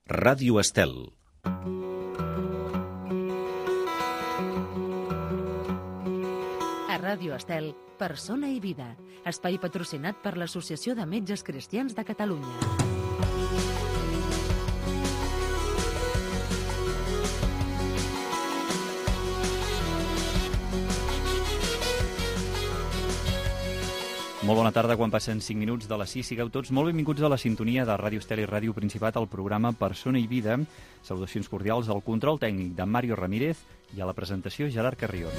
Ràdio Estel. A Ràdio Estel, Persona i Vida, espai patrocinat per l'Associació de Metges Cristians de Catalunya. Molt bona tarda, quan passen 5 minuts de les 6. Sigueu tots molt benvinguts a la sintonia de Ràdio Estel i Ràdio Principat al programa Persona i Vida. Salutacions cordials al control tècnic de Mario Ramírez i a la presentació Gerard Carrión.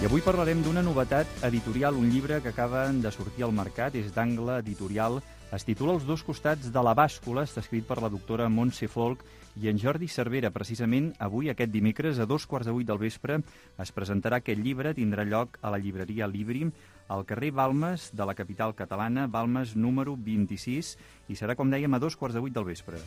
I avui parlarem d'una novetat editorial, un llibre que acaba de sortir al mercat, és d'Angle Editorial, es titula Els dos costats de la bàscula, està escrit per la doctora Montse Folch i en Jordi Cervera. Precisament avui, aquest dimecres, a 7:15 del vespre, es presentarà aquest llibre, tindrà lloc a la llibreria Libri, al carrer Balmes de la capital catalana, Balmes número 26, i serà, com dèiem, a 7:15 del vespre.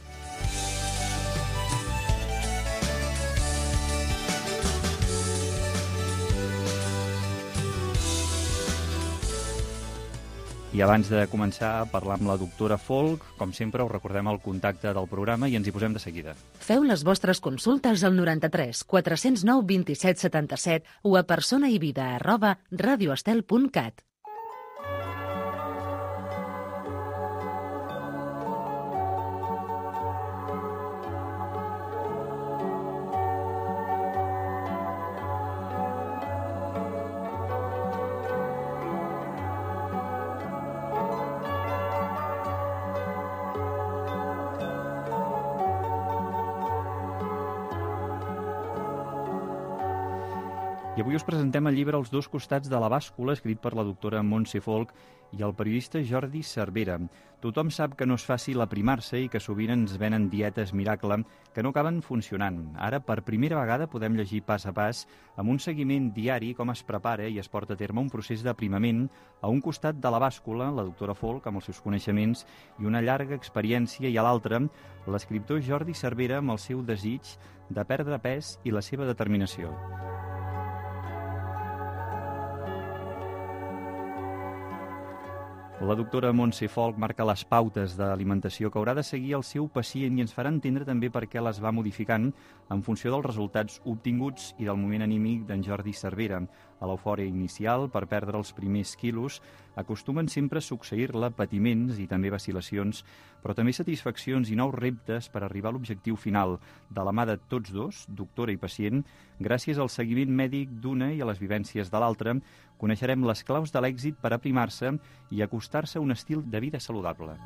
I abans de començar a parlar amb la doctora Folch, com sempre, us recordem el contacte del programa i ens hi posem de seguida. Feu les vostres consultes al 93 409 27 77 o a personaivida@radioestel.cat. I avui us presentem el llibre Els dos costats de la bàscula, escrit per la doctora Montse Folch i el periodista Jordi Cervera. Tothom sap que no és fàcil aprimar-se i que sovint ens venen dietes miracle que no acaben funcionant. Ara, per primera vegada, podem llegir pas a pas, amb un seguiment diari, com es prepara i es porta a terme un procés d'aprimament a un costat de la bàscula, la doctora Folch, amb els seus coneixements i una llarga experiència, i a l'altre, l'escriptor Jordi Cervera, amb el seu desig de perdre pes i la seva determinació. La doctora Montse Folch marca les pautes d'alimentació que haurà de seguir el seu pacient i ens farà entendre també per què les va modificant en funció dels resultats obtinguts i del moment anímic d'en Jordi Cervera. A l'eufòria inicial, per perdre els primers quilos, acostumen sempre a succeir-la patiments i també vacil·lacions, però també satisfaccions i nous reptes per arribar a l'objectiu final, de la mà de tots dos, doctora i pacient. Gràcies al seguiment mèdic d'una i a les vivències de l'altra, coneixerem les claus de l'èxit per aprimar-se i acostar-se a un estil de vida saludable.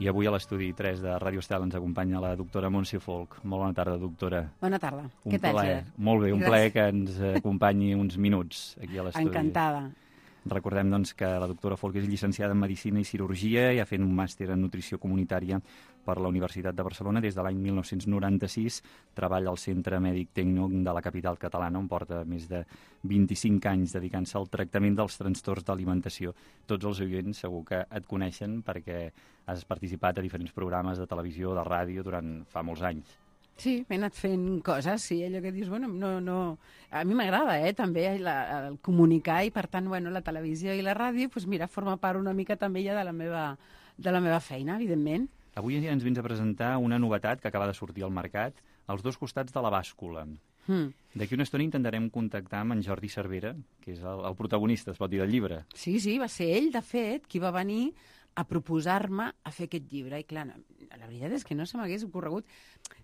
I avui a l'estudi 3 de Ràdio Estel ens acompanya la doctora Montse Folch. Molt bona tarda, doctora. Bona tarda. Què tal, Gerard? Molt bé, un plaer que ens acompanyi uns minuts aquí a l'estudi. Encantada. Recordem, doncs, que la doctora Folch és llicenciada en Medicina i Cirurgia i ha fet un màster en Nutrició Comunitària per la Universitat de Barcelona. Des de l'any 1996 treballa al Centre Mèdic Tecno de la capital catalana, on porta més de 25 anys dedicant-se al tractament dels trastorns d'alimentació. Tots els oients segur que et coneixen perquè has participat a diferents programes de televisió, de ràdio, durant fa molts anys. Sí, m'he anat fent coses, sí, allò que dius, bueno, no... A mi m'agrada, també, el comunicar, i per tant, bueno, la televisió i la ràdio, doncs mira, forma part una mica també ja de la meva feina, evidentment. Avui ens vens a presentar una novetat que acaba de sortir al mercat, Els dos costats de la bàscula. D'aquí una estona intentarem contactar amb en Jordi Cervera, que és el protagonista, es pot dir, del llibre. Sí, va ser ell, de fet, qui va venir a proposar-me a fer aquest llibre. I clar, la veritat és que no se m'hagués ocorregut.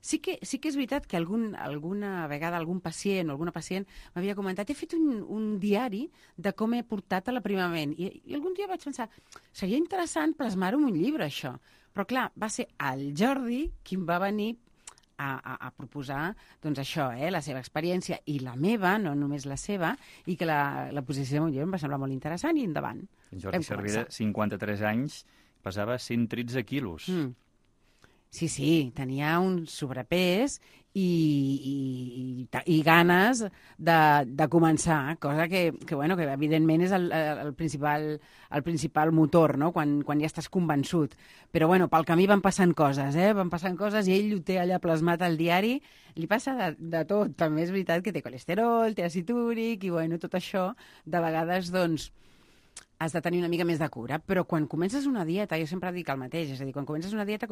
Sí que és veritat que alguna vegada algun pacient o alguna pacient m'havia comentat: he fet un diari de com he portat a l'aprimament. I algun dia vaig pensar, seria interessant plasmar-ho en un llibre, això. Però clar, va ser el Jordi qui em va venir a proposar, doncs això, la seva experiència i la meva, no només la seva, i que la posició de mon llibre em va semblar molt interessant, i endavant. En Jordi Cervera, 53 anys, pesava 113 quilos. Sí, tenia un sobrepès i ganes de començar, cosa que evidentment és el principal motor, no? Quan ja estàs convençut. Però pel camí van passant coses, van passant coses i ell ho té allà plasmat al diari. Li passa de tot, també és veritat que té colesterol, té àcid úric i tot això, de vegades, doncs, has de tenir una mica més de cura, però quan comences una dieta, jo sempre dic el mateix, és a dir, quan comences una dieta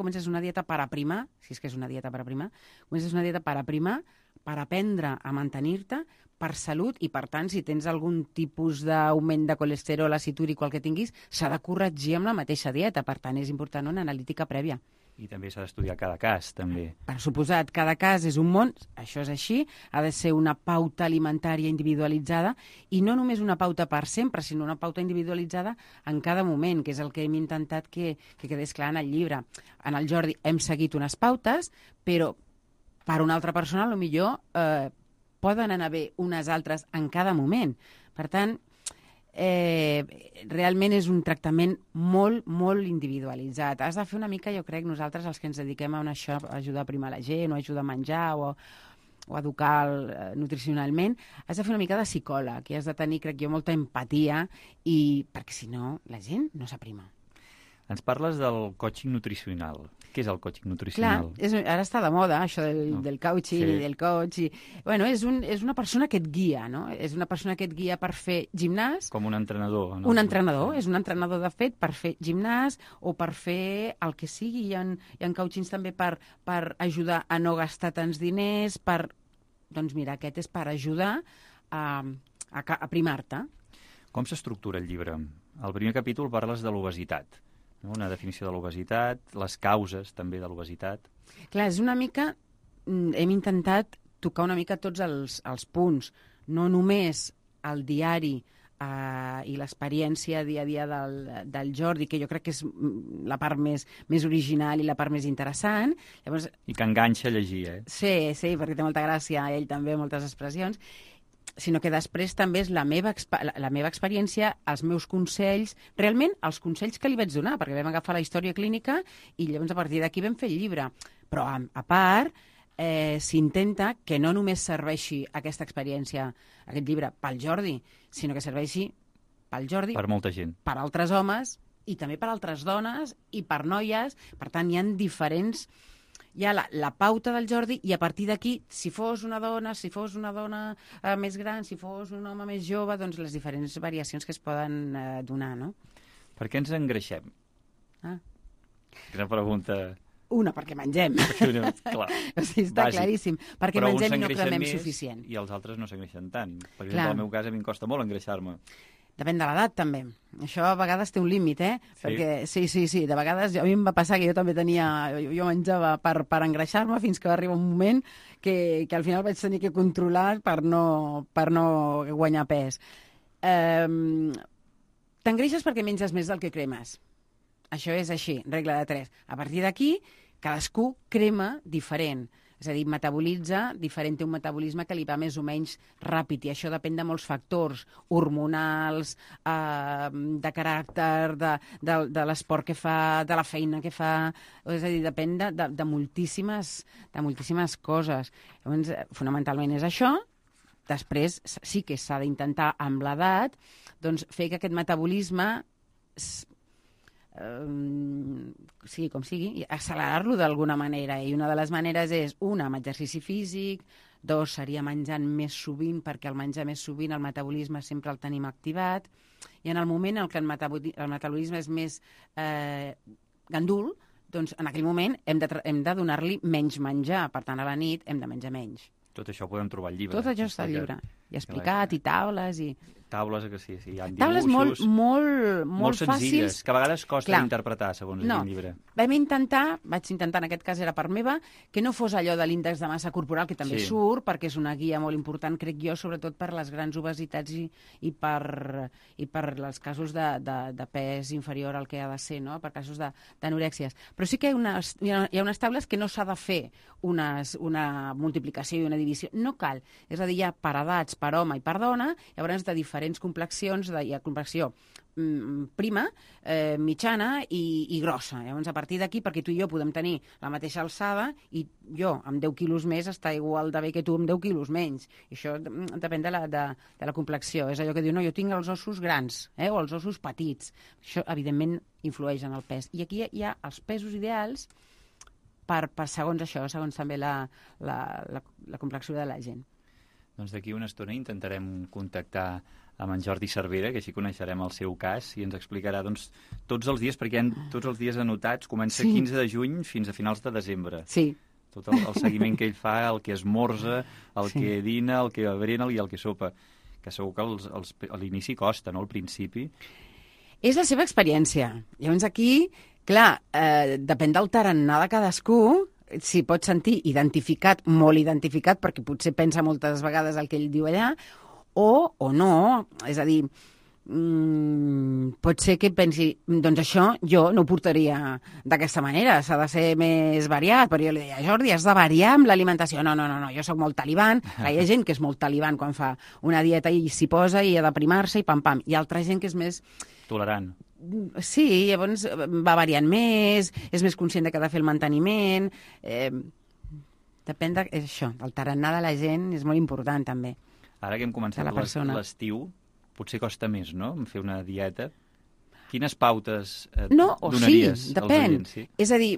per aprimar, si és que és una dieta per aprimar, comences una dieta per aprimar, per aprendre a mantenir-te, per salut, i per tant, si tens algun tipus d'augment de colesterol, àcid úric o el que tinguis, s'ha de corregir amb la mateixa dieta, per tant, és important una analítica prèvia. I també s'ha d'estudiar cada cas, també. Per suposat, cada cas és un món, això és així, ha de ser una pauta alimentària individualitzada, i no només una pauta per sempre, sinó una pauta individualitzada en cada moment, que és el que hem intentat que quedés clar en el llibre. En el Jordi hem seguit unes pautes, però per una altra persona, potser poden anar bé unes altres en cada moment. Per tant, realment és un tractament molt, molt individualitzat. Has de fer una mica, jo crec, nosaltres els que ens dediquem a això, a ajudar a primar la gent, o a ajudar a menjar, o a educar nutricionalment, has de fer una mica de psicòleg, i has de tenir, crec jo, molta empatia, perquè si no, la gent no s'aprima. Ens parles del coaching nutricional. Què és el coaching nutricional? Clar, ara està de moda, això del coaching i del coach. És una persona que et guia, no? És una persona que et guia per fer gimnàs. Com un entrenador. No? Un entrenador, és un entrenador de fet per fer gimnàs o per fer el que sigui. Hi ha coachings també per ajudar a no gastar tants diners, doncs mira, aquest és per ajudar a primar-te. Com s'estructura el llibre? Al primer capítol parles de l'obesitat. Una definició de l'obesitat, les causes també de l'obesitat. Clar, és una mica... Hem intentat tocar una mica tots els punts, no només el diari i l'experiència dia a dia del Jordi, que jo crec que és la part més original i la part més interessant. Llavors, i que enganxa a llegir, Sí, perquè té molta gràcia, ell també, moltes expressions, sinó que després també és la meva experiència, els meus consells, realment els consells que li vaig donar, perquè vam agafar la història clínica i llavors a partir d'aquí vam fer el llibre. Però a part, s'intenta que no només serveixi aquesta experiència, aquest llibre, pel Jordi, sinó que serveixi pel Jordi, per molta gent, per altres homes i també per altres dones i per noies. Per tant, hi ha diferents... Hi ha la pauta del Jordi i a partir d'aquí, si fos una dona més gran, si fos un home més jove, doncs les diferents variacions que es poden donar, no? Per què ens engreixem? Una pregunta... Una, perquè mengem. Clar, o sigui, està claríssim. Perquè mengem i no cremem suficient. I els altres no s'engreixen tant. Per exemple, en el meu cas a mi em costa molt engreixar-me. Depèn de l'edat, també. Això a vegades té un límit, Sí? Perquè, sí. De vegades a mi em va passar que jo també jo menjava per engreixar-me fins que va arribar un moment que al final vaig tenir que controlar per no guanyar pes. T'engreixes perquè menges més del que cremes. Això és així, regla de 3. A partir d'aquí, cadascú crema diferent. És a dir, metabolitza diferent, té un metabolisme que li va més o menys ràpid, i això depèn de molts factors, hormonals, de caràcter, de l'esport que fa, de la feina que fa, és a dir, depèn de moltíssimes coses. Llavors, fonamentalment és això. Després sí que s'ha d'intentar, amb l'edat, doncs, fer que aquest metabolisme sigui com sigui, accelerar-lo d'alguna manera, i una de les maneres és, una, amb exercici físic, 2, seria menjant més sovint, perquè al menjar més sovint el metabolisme sempre el tenim activat, i en el moment en què el metabolisme és més gandul, doncs en aquell moment hem de donar-li menys menjar, per tant a la nit hem de menjar menys. Tot això ho podem trobar al llibre. Tot això està al llibre, i explicat, i taules, i... Taules, que sí, hi ha dibuixos... Taules molt senzilles, fàcils. que a vegades costa d'interpretar, segons el llibre. Vaig intentar, en aquest cas era part meva, que no fos allò de l'índex de massa corporal, que també surt, perquè és una guia molt important, crec jo, sobretot per les grans obesitats i per els casos de pes inferior al que ha de ser, no? Per casos d'anorèxies. Però sí que hi ha unes taules que no s'ha de fer una multiplicació i una divisió. No cal. És a dir, hi ha per edats, per home i per dona, llavors de diferents complexions, hi ha complexió prima, mitjana i grossa. Llavors, a partir d'aquí, perquè tu i jo podem tenir la mateixa alçada i jo, amb 10 quilos més, està igual de bé que tu amb 10 quilos menys. I això depèn de la complexió. És allò que diu, no, jo tinc els ossos grans, o els ossos petits. Això, evidentment, influeix en el pes. I aquí hi ha els pesos ideals per segons això, segons també la complexió de la gent. Doncs d'aquí una estona intentarem contactar amb en Jordi Cervera, que així coneixerem el seu cas, i ens explicarà tots els dies, perquè hi ha tots els dies anotats, comença 15 de juny fins a finals de desembre. Sí. Tot el seguiment que ell fa, el que esmorza, el que dina, el que bebrena i el que sopa. Que segur que a l'inici costa, no?, al principi. És la seva experiència. Llavors aquí, clar, depèn del tarannà de cadascú, s'hi pot sentir identificat, molt identificat, perquè potser pensa moltes vegades el que ell diu allà, o no. És a dir, pot ser que pensi, doncs això jo no ho portaria d'aquesta manera, s'ha de ser més variat, però jo li deia, Jordi, has de variar amb l'alimentació. No, jo sóc molt talibán. Hi ha gent que és molt talibán quan fa una dieta i s'hi posa i ha de primar-se i pam-pam. Hi ha altra gent que és més... Tolerant. Sí, llavors va variant més, és més conscient que ha de fer el manteniment. Depèn d'això, el tarannà de la gent és molt important també. Ara que hem començat l'estiu, potser costa més, no?, fer una dieta. Quines pautes donaries als oients? Sí, és a dir,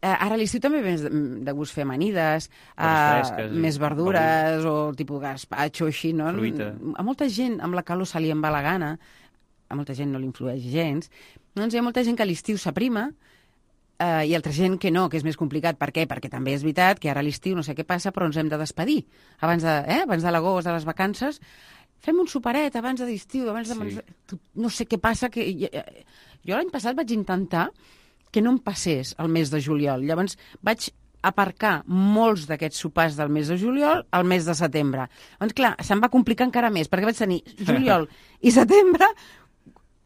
ara a l'estiu també ve de gust fer amanides, més verdures o tipus gazpacho, així, no? Fruita. A molta gent amb la calor se li en va la gana, a molta gent no li influeix gens. Doncs hi ha molta gent que a l'estiu s'aprima, i altra gent que no, que és més complicat. Per què? Perquè també és veritat que ara a l'estiu no sé què passa, però ens hem de despedir. Abans de l'agost, de les vacances, fem un superet abans de l'estiu, no sé què passa. Jo l'any passat vaig intentar que no em passés el mes de juliol. Llavors vaig aparcar molts d'aquests sopars del mes de juliol al mes de setembre. Doncs clar, se'm va complicar encara més, perquè vaig tenir juliol i setembre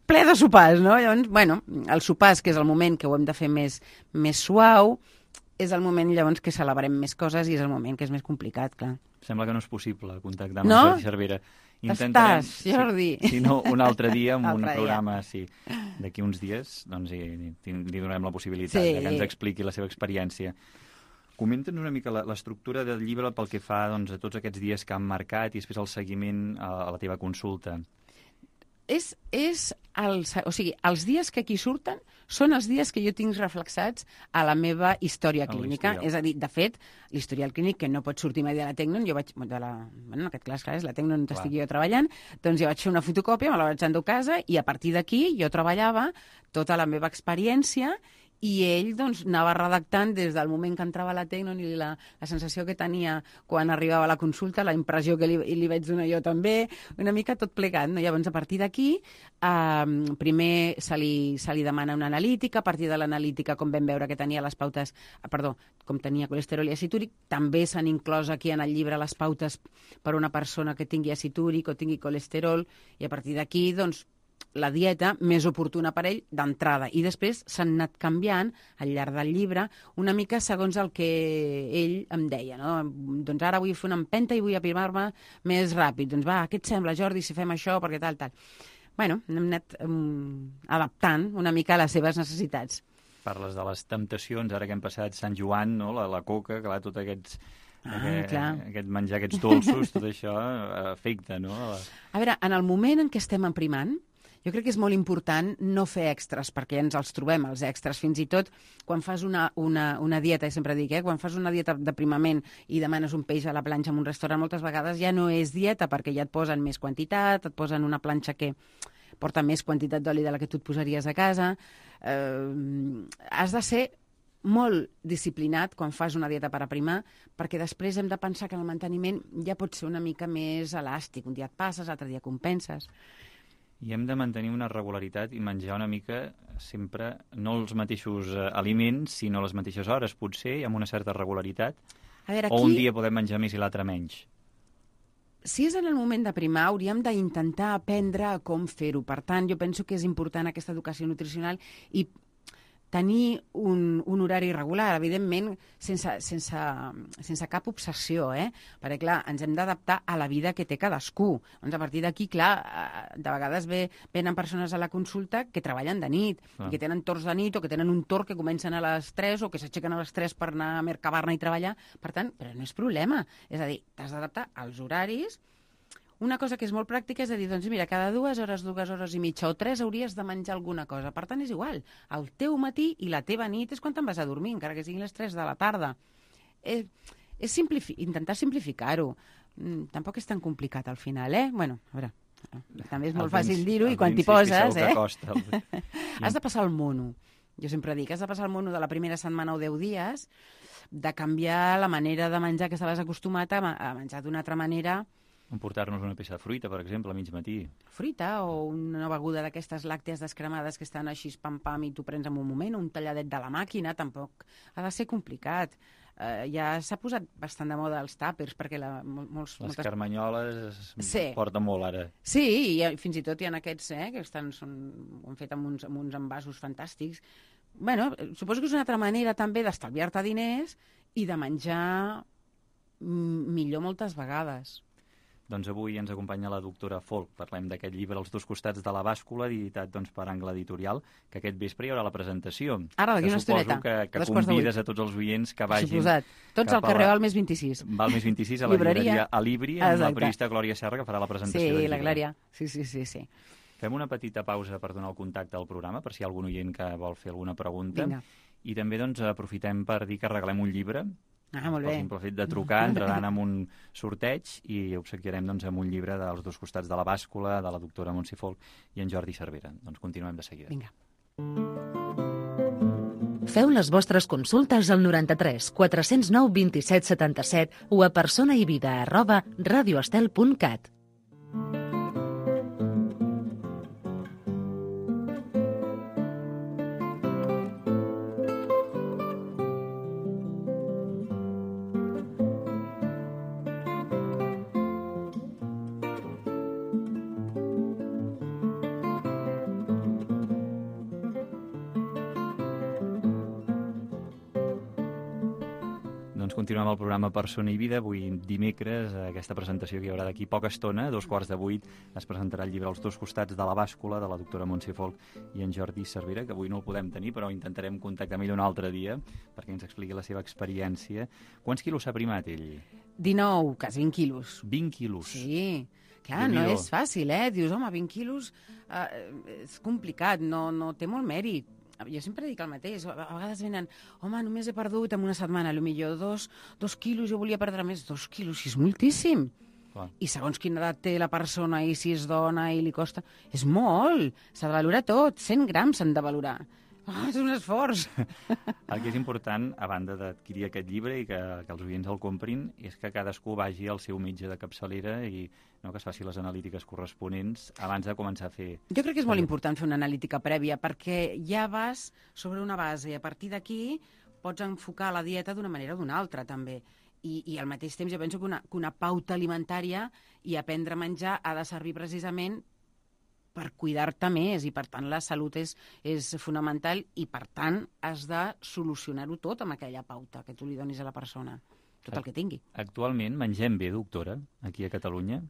ple de sopars, no? Llavors, bueno, els sopars, que és el moment que ho hem de fer més suau, és el moment llavors que celebrem més coses i és el moment que és més complicat, clar. Sembla que no és possible contactar amb Jordi Cervera. Estàs, Jordi. Si no, un altre dia, amb un programa, sí, d'aquí uns dies, doncs li donem la possibilitat que ens expliqui la seva experiència. Comenta'ns una mica l'estructura del llibre pel que fa a tots aquests dies que han marcat i després el seguiment a la teva consulta. O sigui, els dies que aquí surten són els dies que jo tinc reflexats a la meva història clínica. És a dir, de fet, l'historial clínic, que no pot sortir mai de la Tecnon, jo vaig... en aquest cas, clar, és la Tecnon on estic jo treballant, doncs jo vaig fer una fotocòpia, me la vaig endur a casa i a partir d'aquí jo treballava tota la meva experiència i ell doncs, anava redactant des del moment que entrava a la Tecnon i la sensació que tenia quan arribava a la consulta, la impressió que li vaig donar jo també, una mica tot plegat. No? Llavors, a partir d'aquí, primer se li demana una analítica, a partir de l'analítica, com vam veure que tenia les pautes, com tenia colesterol i acid úric, també s'han inclòs aquí en el llibre les pautes per una persona que tingui acid úric o tingui colesterol, i a partir d'aquí, doncs, la dieta més oportuna per ell d'entrada. I després s'han anat canviant al llarg del llibre una mica segons el que ell em deia. No? Doncs ara vull fer una empenta i vull aprimar-me més ràpid. Doncs va, què et sembla, Jordi, si fem això, perquè tal. Bueno, hem anat adaptant una mica a les seves necessitats. Parles de les temptacions, ara que hem passat Sant Joan, no? la coca, clar, tot aquest menjar, aquests dolços, tot això afecta, no? A veure, en el moment en què estem emprimant, jo crec que és molt important no fer extras, perquè ens els trobem, els extras, fins i tot quan fas una dieta, sempre dic, quan fas una dieta d'aprimament i demanes un peix a la planxa en un restaurant, moltes vegades ja no és dieta, perquè ja et posen més quantitat, et posen una planxa que porta més quantitat d'oli de la que tu et posaries a casa. Has de ser molt disciplinat quan fas una dieta per aprimar, perquè després hem de pensar que el manteniment ja pot ser una mica més elàstic. Un dia et passes, l'altre dia compenses. I hem de mantenir una regularitat i menjar una mica sempre, no els mateixos aliments, sinó les mateixes hores, potser, i amb una certa regularitat. A veure, aquí... O un dia podem menjar més i l'altre menys. Si és en el moment d'aprimar, hauríem d'intentar aprendre com fer-ho. Per tant, jo penso que és important aquesta educació nutricional i tenir un horari regular, evidentment sense cap obsessió, perquè, clar, ens hem d'adaptar a la vida que té cadascú. Doncs a partir d'aquí, clar, de vegades venen persones a la consulta que treballen de nit, i que tenen torns de nit, o que tenen un torn que comencen a les 3, o que s'aixequen a les 3 per anar a Mercabarna i treballar. Per tant, però no és problema. És a dir, t'has d'adaptar als horaris. Una cosa que és molt pràctica és a dir, doncs mira, cada 2 hores i mitja o 3 hauries de menjar alguna cosa. Per tant, és igual. El teu matí i la teva nit és quan te'n vas a dormir, encara que siguin les 3 de la tarda. És intentar simplificar-ho. Tampoc és tan complicat al final, Bueno, a veure, també és molt fàcil dir-ho i quan t'hi poses, Has de passar el mono. Jo sempre dic, has de passar el mono de la primera setmana o 10 dies, de canviar la manera de menjar que estaves acostumat a menjar d'una altra manera. Emportar-nos una peça de fruita, per exemple, a mig matí. Fruita o una beguda d'aquestes làctees descremades que estan així pam-pam i tu prens en un moment, o un talladet de la màquina, tampoc ha de ser complicat. Ja s'ha posat bastant de moda els tàpers, perquè Les carmanyoles porten molt ara. Sí, i fins i tot hi ha aquests que ho han fet amb uns envasos fantàstics. Bueno, suposo que és una altra manera també d'estalviar-te diners i de menjar millor moltes vegades. Doncs avui ens acompanya la doctora Folch. Parlem d'aquest llibre, Els dos costats de la bàscula, editat per Angle Editorial, que aquest vespre hi haurà la presentació. Ara, d'aquí una estoneta. Que convides a tots els oients que vagin... Suposat. Tots al carrer Balmes 26. Balmes 26, a la llibreria Alibri, amb la periodista Glòria Serra, que farà la presentació del llibre. Sí, la Glòria. Sí. Fem una petita pausa per donar el contacte al programa, per si hi ha algun oient que vol fer alguna pregunta. Vinga. I també aprofitem per dir que regalem un llibre. Molt bé. El simple fet de trucar, entraran en un sorteig i obsequiarem amb un llibre dels dos costats de la bàscula, de la doctora Montse Folch i en Jordi Cervera. Doncs continuem de seguida. Vinga. Feu les vostres consultes al 93 409 27 77 o a personaivida@radioestel.cat. Continuem el programa Persona i Vida. Avui dimecres, aquesta presentació que hi haurà d'aquí poca estona, a 7:15, es presentarà el llibre Els dos costats de la bàscula, de la doctora Montse Folch i en Jordi Cervera, que avui no el podem tenir, però intentarem contactar amb ell un altre dia perquè ens expliqui la seva experiència. Quants quilos s'ha primat ell? 19, quasi 20 quilos. 20 quilos? Sí. Clar, no és fàcil, Dius, home, 20 quilos és complicat, no té molt mèrit. Jo sempre dic el mateix, a vegades venen, home, només he perdut en una setmana, potser 2 quilos, jo volia perdre més, 2 quilos, és moltíssim. Clar. I segons quina edat té la persona i si és dona i li costa, és molt, s'ha de valorar tot, 100 grams s'han de valorar. És un esforç. El que és important, a banda d'adquirir aquest llibre i que els oients el comprin, és que cadascú vagi al seu metge de capçalera i que es faci les analítiques corresponents abans de començar a fer... Jo crec que és molt important fer una analítica prèvia perquè ja vas sobre una base i a partir d'aquí pots enfocar la dieta d'una manera o d'una altra també. I al mateix temps jo penso que una pauta alimentària i aprendre a menjar ha de servir precisament per cuidar-te més i per tant la salut és fonamental i per tant has de solucionar-ho tot amb aquella pauta que tu li donis a la persona, tot el que tingui. Actualment mengem bé, doctora, aquí a Catalunya?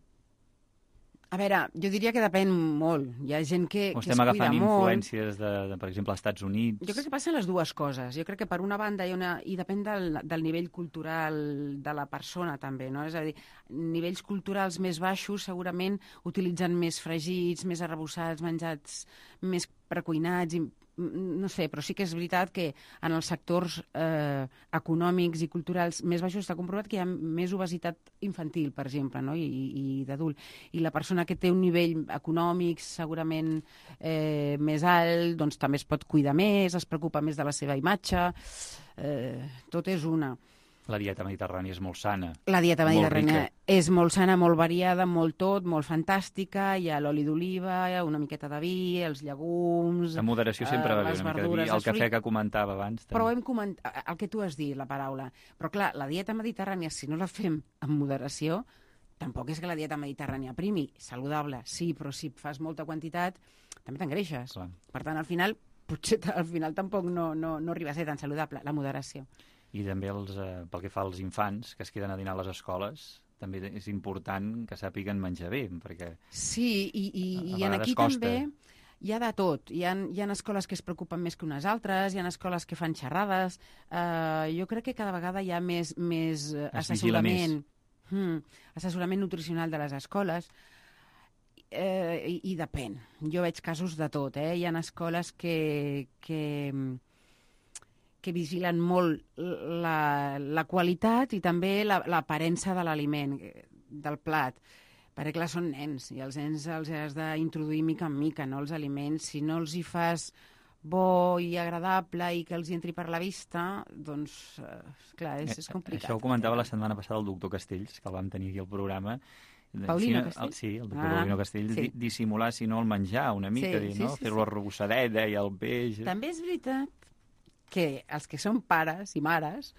A veure, jo diria que depèn molt. Hi ha gent que es cuida molt. Estem agafant influències per exemple, als Estats Units. Jo crec que passen les dues coses. Jo crec que per una banda i depèn del nivell cultural de la persona també, no? És a dir, nivells culturals més baixos segurament utilitzen més fregits, més arrebossats, menjats més precuinats i no sé, però sí que és veritat que en els sectors econòmics i culturals més baixos està comprovat que hi ha més obesitat infantil, per exemple, no? I d'adult. I la persona que té un nivell econòmic segurament més alt, doncs també es pot cuidar més, es preocupa més de la seva imatge, tot és una. La dieta mediterrània és molt sana. La dieta mediterrània és molt sana, molt variada, molt fantàstica. Hi ha l'oli d'oliva, una miqueta de vi, els llegums... La moderació sempre va bé, una mica de vi. El cafè que comentava abans. Però hem comentat el que tu has dit, la paraula. Però clar, la dieta mediterrània, si no la fem amb moderació, tampoc és que la dieta mediterrània primi. Saludable, sí, però si fas molta quantitat, també t'engreixes. Per tant, al final, potser al final tampoc no arriba a ser tan saludable, la moderació. I també pel que fa als infants que es queden a dinar a les escoles, també és important que sàpiguen menjar bé, perquè sí, i a aquí costa. també hi ha de tot. Hi ha escoles que es preocupen més que unes altres, hi ha escoles que fan xerrades. Jo crec que cada vegada hi ha més assessorament, assessorament nutricional de les escoles. I depèn. Jo veig casos de tot. Hi ha escoles que vigilen molt la qualitat i també l'aparença de l'aliment, del plat. Perquè, clar, són nens, i els nens els has d'introduir mica en mica, no? Els aliments. Si no els hi fas bo i agradable i que els hi entri per la vista, doncs, clar, és complicat. Això ho comentava la setmana passada el doctor Castells, que el vam tenir aquí al programa. Paulino Castells? Sí, el doctor Paulino Castells. Sí. Dissimular, si no, el menjar una mica, no? Fer-lo arrogossadeta i el peix. També és veritat que els que són pares i mares,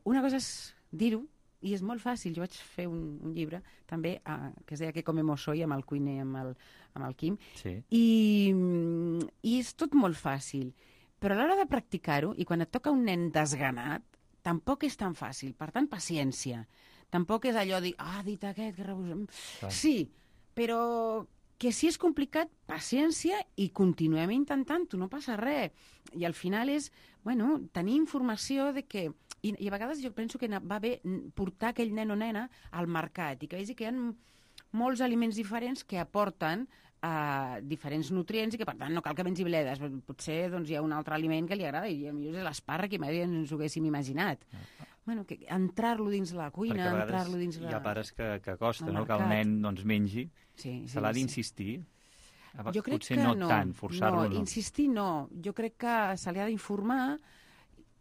una cosa és dir-ho, i és molt fàcil. Jo vaig fer un llibre també que es deia Que comemos hoy, amb el cuiner, amb el Quim, sí. I és tot molt fàcil. Però a l'hora de practicar-ho, i quan et toca un nen desganat, tampoc és tan fàcil. Per tant, paciència. Tampoc és allò de dir, ha dit aquest, que rebusem. Sí, però que si és complicat, paciència i continuem intentant-ho, no passa res. I al final és, bueno, tenir informació de que... I a vegades jo penso que va bé portar aquell nen o nena al mercat i que vegi que hi ha molts aliments diferents que aporten diferents nutrients i que, per tant, no cal que mengi bledes. Potser doncs, hi ha un altre aliment que li agrada i potser és l'espàrrec i mai ens ho haguéssim imaginat. Bueno, que entrar-lo dins la cuina, entrar-lo dins la... Hi ha pares que costa, no?, que el nen doncs, mengi. Se l'ha d'insistir. Jo crec potser que no tant, forçar-lo no. Insistir no. Jo crec que se li ha d'informar,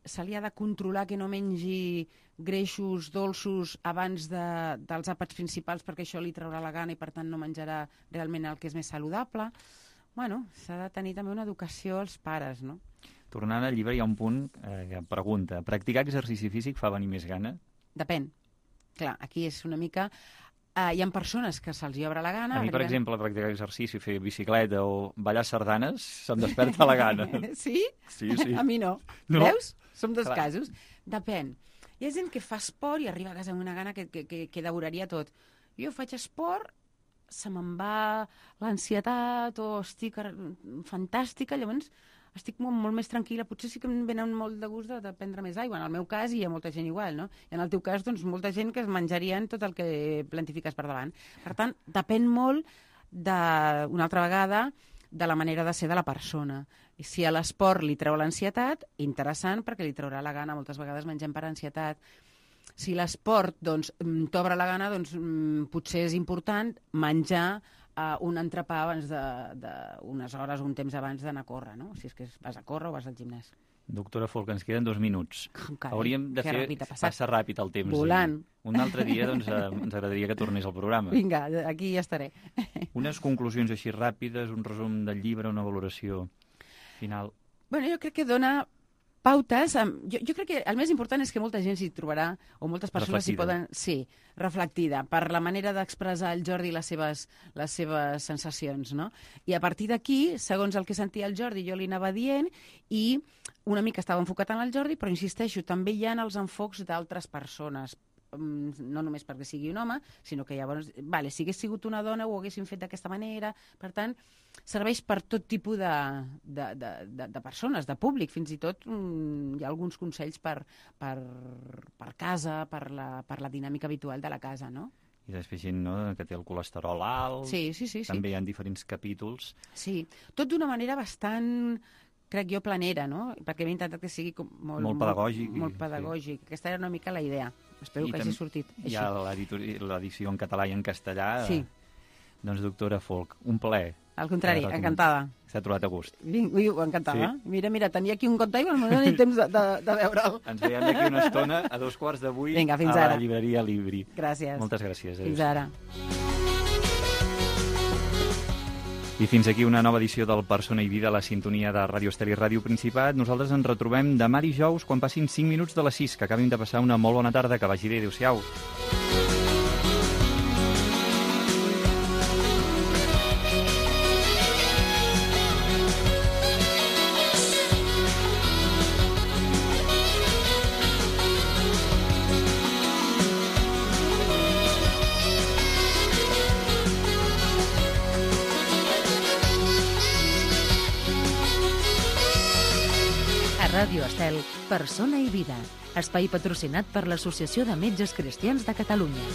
se li ha de controlar que no mengi greixos dolços abans dels àpats principals perquè això li traurà la gana i per tant no menjarà realment el que és més saludable. Bueno, s'ha de tenir també una educació als pares, no? Tornant al llibre hi ha un punt que pregunta: practicar exercici físic fa venir més gana? Depèn. Clar, aquí és una mica... hi ha persones que se'ls hi obre la gana... A mi, per exemple, practicar exercici, fer bicicleta o ballar sardanes, se'm desperta la gana. Sí? Sí. A mi no. Veus? Som dos casos. Depèn. Hi ha gent que fa esport i arriba a casa amb una gana que devoraria tot. Jo faig esport, se me'n va l'ansietat o estic fantàstica, llavors estic molt més tranquil·la. Potser sí que em venen molt de gust de prendre més aigua. En el meu cas hi ha molta gent igual, no? I en el teu cas, doncs, molta gent que es menjarien tot el que plantifiques per davant. Per tant, depèn molt, una altra vegada, de la manera de ser de la persona. I si a l'esport li treu l'ansietat, interessant, perquè li traurà la gana. Moltes vegades mengem per ansietat. Si l'esport doncs, t'obre la gana, doncs, potser és important menjar un entrepà abans d'unes hores o un temps abans d'anar a córrer, no? Si és que vas a córrer o vas al gimnàs. Doctora Folch, ens queden 2 minuts. Carai, hauríem de fer... Passa ràpid el temps. Volant. Un altre dia doncs, ens agradaria que tornés al programa. Vinga, aquí ja estaré. Unes conclusions així ràpides, un resum del llibre, una valoració final. Bueno, jo crec que dona pautes. Jo crec que el més important és que molta gent s'hi trobarà, o moltes persones s'hi poden... Sí, reflectida, per la manera d'expressar el Jordi les seves sensacions, no? I a partir d'aquí, segons el que sentia el Jordi, jo li anava dient, i una mica estava enfocat en el Jordi, però insisteixo, també hi ha els enfocs d'altres persones, no només perquè sigui un home, sinó que llavors, si hagués sigut una dona ho haguéssim fet d'aquesta manera. Per tant, serveix per tot tipus de persones, de públic. Fins i tot hi ha alguns consells per casa, per la dinàmica habitual de la casa, no? I després gent, no?, que té el colesterol alt. Sí. També hi ha diferents capítols. Sí, tot d'una manera bastant, crec jo, planera, no? Perquè m'he intentat que sigui molt pedagògic. Molt pedagògic. Sí. Aquesta era una mica la idea. Espero que hagi sortit així. Hi ha l'edició en català i en castellà. Sí. Doncs, doctora Folch, un plaer. Al contrari, encantada. S'ha trobat a gust. Ui, encantada. Sí. Mira, tenia aquí un compte i no tinc temps de veure'l. Ens veiem d'aquí una estona a 2:15 Vinga, fins a ara. la llibreria Libri. Gràcies. Moltes gràcies. Fins ara. I fins aquí una nova edició del Persona i Vida a la sintonia de Ràdio Estel i Ràdio Principat. Nosaltres ens retrobem demà dijous quan passin 5 minuts de les 6, que acabin de passar una molt bona tarda, que vagi bé, adéu-siau. Ràdio Estel, Persona i Vida, espai patrocinat per l'Associació de Metges Cristians de Catalunya.